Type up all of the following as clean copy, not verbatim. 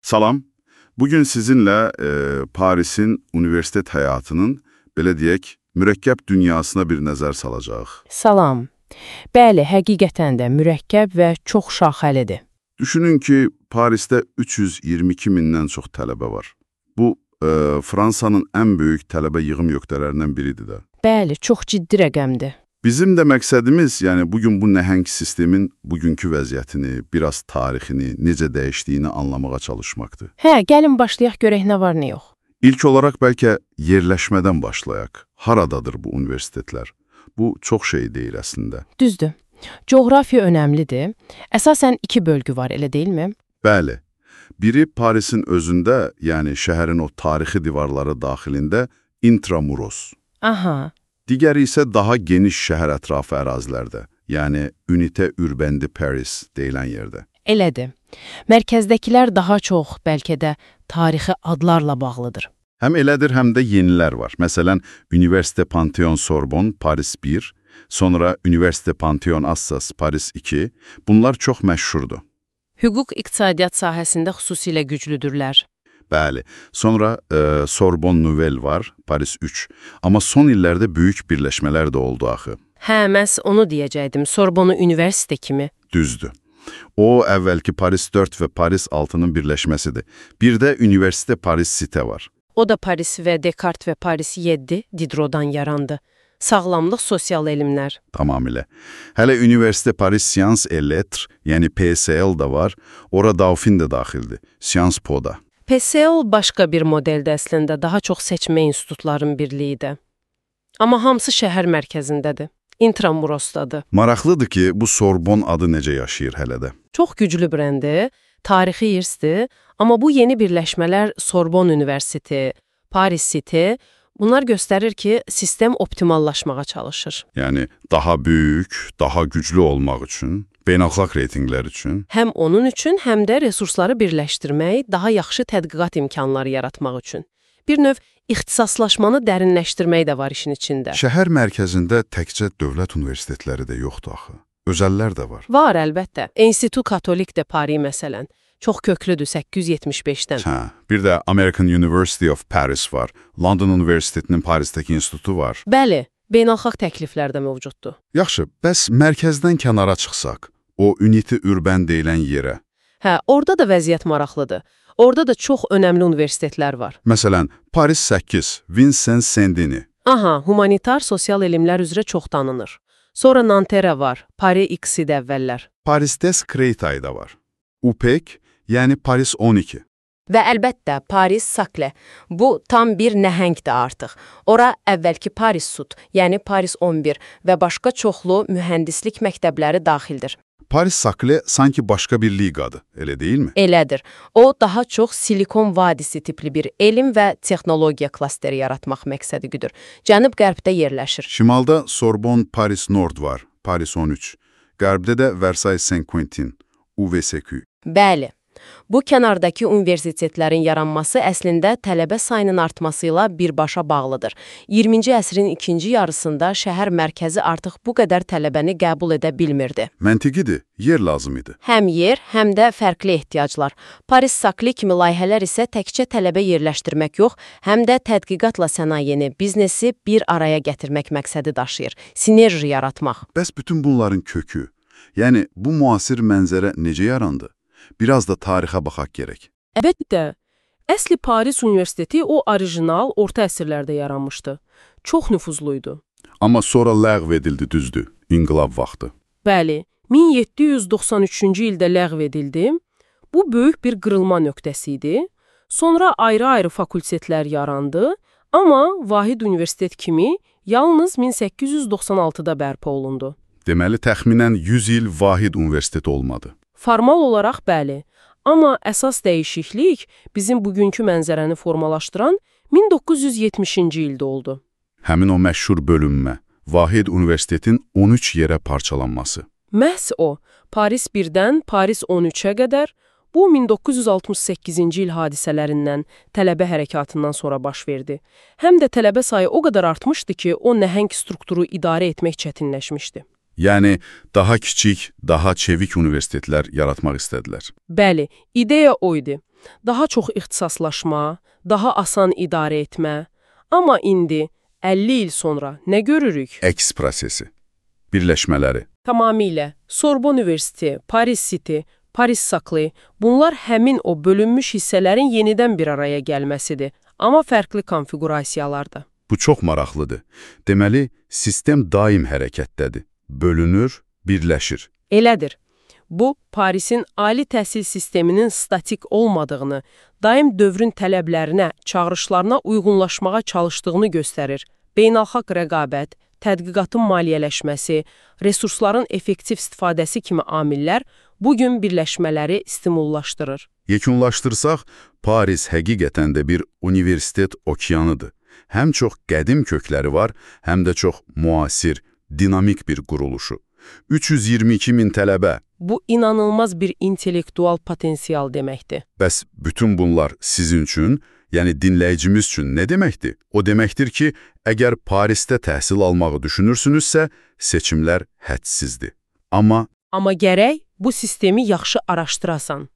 Salam. Bugün sizinle Paris'in üniversitet həyatının, belə deyək, mürəkkəb dünyasına bir nəzər salacağıq. Salam. Bəli, həqiqətən də mürəkkəb və çox şaxəlidir. Düşünün ki, Parisdə 322 mindən çox tələbə var. Bu, Fransanın ən böyük tələbə yığım nöqtələrindən biridir də. Bəli, çox ciddi rəqəmdir. Bizim də məqsədimiz, yəni bugün bu nəhəng sistemin bugünkü vəziyyətini, biraz tarixini, necə dəyişdiyini anlamağa çalışmaqdır. Gəlin başlayaq görək nə var, nə yox. İlk olaraq bəlkə yerləşmədən başlayaq. Haradadır bu universitetlər? Bu çox şey deyil əslində. Düzdür. Coğrafiya önəmlidir. Əsasən iki bölgü var, elə deyilmi? Bəli. Biri Parisin özündə, yəni şəhərin o tarixi divarları daxilində Intramuros. Aha. Digəri isə daha geniş şəhər ətrafı ərazilərdə, yəni Unité Urbaine de Paris deyilən yerdə. Elədir. Mərkəzdəkilər daha çox, bəlkə də tarixi adlarla bağlıdır. Həm elədir, həm də yenilər var. Məsələn, Université Panthéon Sorbonne, Paris 1, sonra Université Panthéon Assas, Paris 2. Bunlar çox məşhurdur. Hüquq iqtisadiyyat sahəsində xüsusilə güclüdürlər. Bəli. Sonra Sorbonne Nouvelle var, Paris 3. Amma son illərdə böyük birləşmələr də oldu axı. Məhz onu deyəcəkdim. Sorbonne Universitet kimi. Düzdür. O, əvvəlki Paris 4 və Paris 6-nın birləşməsidir. Bir də Université Paris Cité var. O da Paris və Descartes və Paris 7 Diderot'dan yarandı. Sağlamlıq, sosial elmlər. Tamamilə. Hələ Université Paris Sciences et Lettres, yəni PSL da var. Ora Dauphine də daxildir. Sciences Po da. PSL başqa bir modeldə əslində, daha çox seçmə institutların birliyidir. Amma hamısı şəhər mərkəzindədir, Intramurosdadır. Maraqlıdır ki, bu Sorbonne adı necə yaşayır hələ də. Çox güclü brendi, tarixi irsdir, amma bu yeni birləşmələr Sorbonne Universiteti, Paris City, bunlar göstərir ki, sistem optimallaşmağa çalışır. Yəni, daha böyük, daha güclü olmaq üçün, beynəlxalq reytinqlər üçün. Həm onun üçün, həm də resursları birləşdirmək, daha yaxşı tədqiqat imkanları yaratmaq üçün. Bir növ ixtisaslaşmanı dərinləşdirmək də var işin içində. Şəhər mərkəzində təkcə dövlət universitetləri də yoxdur axı. Özəllər də var. Var, əlbəttə. Institut Katolik de Paris məsələn. Çox köklüdür, 875-dən. Bir də American University of Paris var. London Universitetinin Parisdəki institutu var. Bəli, beynəlxalq təkliflər də mövcuddur. Yaxşı, bəs mərkəzdən kənara çıxsaq, o Unité Urbaine deyilən yerə. Orada da vəziyyət maraqlıdır. Orada da çox önəmli universitetlər var. Məsələn, Paris 8, Vincent Saint-Denis. Humanitar sosial elmlər üzrə çox tanınır. Sonra Nanterre var, Paris X-i də əvvəllər. Paris Des Créteil da var. UPEC, yəni Paris 12. Və əlbəttə Paris Saclay. Bu tam bir nəhəngdir artıq. Ora əvvəlki Paris Sud, yəni Paris 11 və başqa çoxlu mühəndislik məktəbləri daxildir. Paris Saclay sanki başqa bir liqadır, elə deyilmi? Elədir. O, daha çox Silikon Vadisi tipli bir elm və texnologiya klasteri yaratmaq məqsədi güdür. Cənub-qərbdə yerləşir. Şimalda Sorbonne Paris Nord var, Paris 13. Qərbdə də Versailles Saint-Quentin, UVSQ. Bəli. Bu kənardakı universitetlərin yaranması əslində tələbə sayının artmasıyla birbaşa bağlıdır. 20-ci əsrin ikinci yarısında şəhər mərkəzi artıq bu qədər tələbəni qəbul edə bilmirdi. Məntiqidir, yer lazım idi. Həm yer, həm də fərqli ehtiyaclar. Paris Saclay kimi layihələr isə təkcə tələbə yerləşdirmək yox, həm də tədqiqatla sənayeni, biznesi bir araya gətirmək məqsədi daşıyır, sinerji yaratmaq. Bəs bütün bunların kökü, yəni bu müasir mənzərə necə yarandı? Biraz da tarixə baxaq gərək. Əlbəttə, əsli Paris Universiteti o orijinal orta əsrlərdə yaranmışdı. Çox nüfuzluydu. Amma sonra ləğv edildi, düzdür, inqilab vaxtı. Bəli, 1793-cü ildə ləğv edildi. Bu böyük bir qırılma nöqtəsi idi. Sonra ayrı-ayrı fakultetlər yarandı, amma vahid universitet kimi yalnız 1896-da bərpa olundu. Deməli, təxminən 100 il vahid universitet olmadı. Formal olaraq bəli, amma əsas dəyişiklik bizim bugünkü mənzərəni formalaşdıran 1970-ci ildə oldu. Həmin o məşhur bölünmə, vahid universitetin 13 yerə parçalanması. Məhz o, Paris 1-dən Paris 13-ə qədər, bu 1968-ci il hadisələrindən, tələbə hərəkatından sonra baş verdi. Həm də tələbə sayı o qədər artmışdı ki, o nəhəng strukturu idarə etmək çətinləşmişdi. Yəni, daha kiçik, daha çevik universitetlər yaratmaq istədilər. Bəli, ideya o idi. daha çox ixtisaslaşma, daha asan idarə etmə. Amma indi 50 il sonra nə görürük? Əks prosesi, birləşmələri. Tamamilə. Sorbonne Universiteti, Paris City, Paris Saklı, bunlar həmin o bölünmüş hissələrin yenidən bir araya gəlməsidir, amma fərqli konfiqurasiyalarda. Bu çox maraqlıdır. Deməli, sistem daim hərəkətdədir. Bölünür, birləşir. Elədir. Bu, Parisin ali təhsil sisteminin statik olmadığını, daim dövrün tələblərinə, çağırışlarına uyğunlaşmağa çalışdığını göstərir. Beynəlxalq rəqabət, tədqiqatın maliyyələşməsi, resursların effektiv istifadəsi kimi amillər bugün birləşmələri stimullaşdırır. Yekunlaşdırsaq, Paris həqiqətən də bir universitet okeanıdır. Həm çox qədim kökləri var, həm də çox müasir, dinamik bir quruluşu. 322 min tələbə. Bu, inanılmaz bir intellektual potensial deməkdir. Bəs bütün bunlar sizin üçün, yəni dinləyicimiz üçün nə deməkdir? O deməkdir ki, əgər Parisdə təhsil almağı düşünürsünüzsə, seçimlər hədsizdir. Amma gərək bu sistemi yaxşı araşdırasan.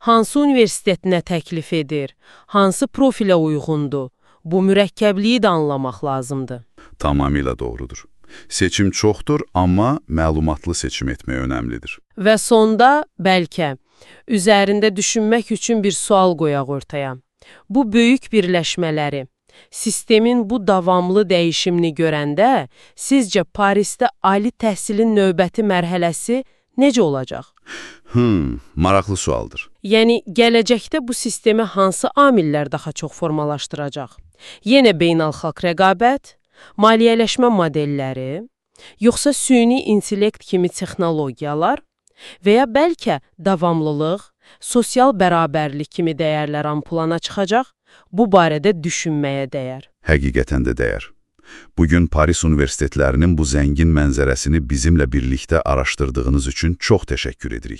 Hansı universitet nə təklif edir? Hansı profilə uyğundur? Bu mürəkkəbliyi də anlamaq lazımdır. Tamamilə doğrudur. Seçim çoxdur, amma məlumatlı seçim etmək önəmlidir. Və sonda, bəlkə, üzərində düşünmək üçün bir sual qoyaq ortaya. Bu böyük birləşmələri, sistemin bu davamlı dəyişimini görəndə, sizcə Parisdə ali təhsilin növbəti mərhələsi necə olacaq? Maraqlı sualdır. Yəni, gələcəkdə bu sistemi hansı amillər daha çox formalaşdıracaq? Yenə beynəlxalq rəqabət, maliyyələşmə modelləri, yoxsa süni intellekt kimi texnologiyalar və ya bəlkə davamlılıq, sosial bərabərlik kimi dəyərlər plana çıxacaq, bu barədə düşünməyə dəyər. Həqiqətən də dəyər. Bugün Paris universitetlərinin bu zəngin mənzərəsini bizimlə birlikdə araşdırdığınız üçün çox təşəkkür edirik.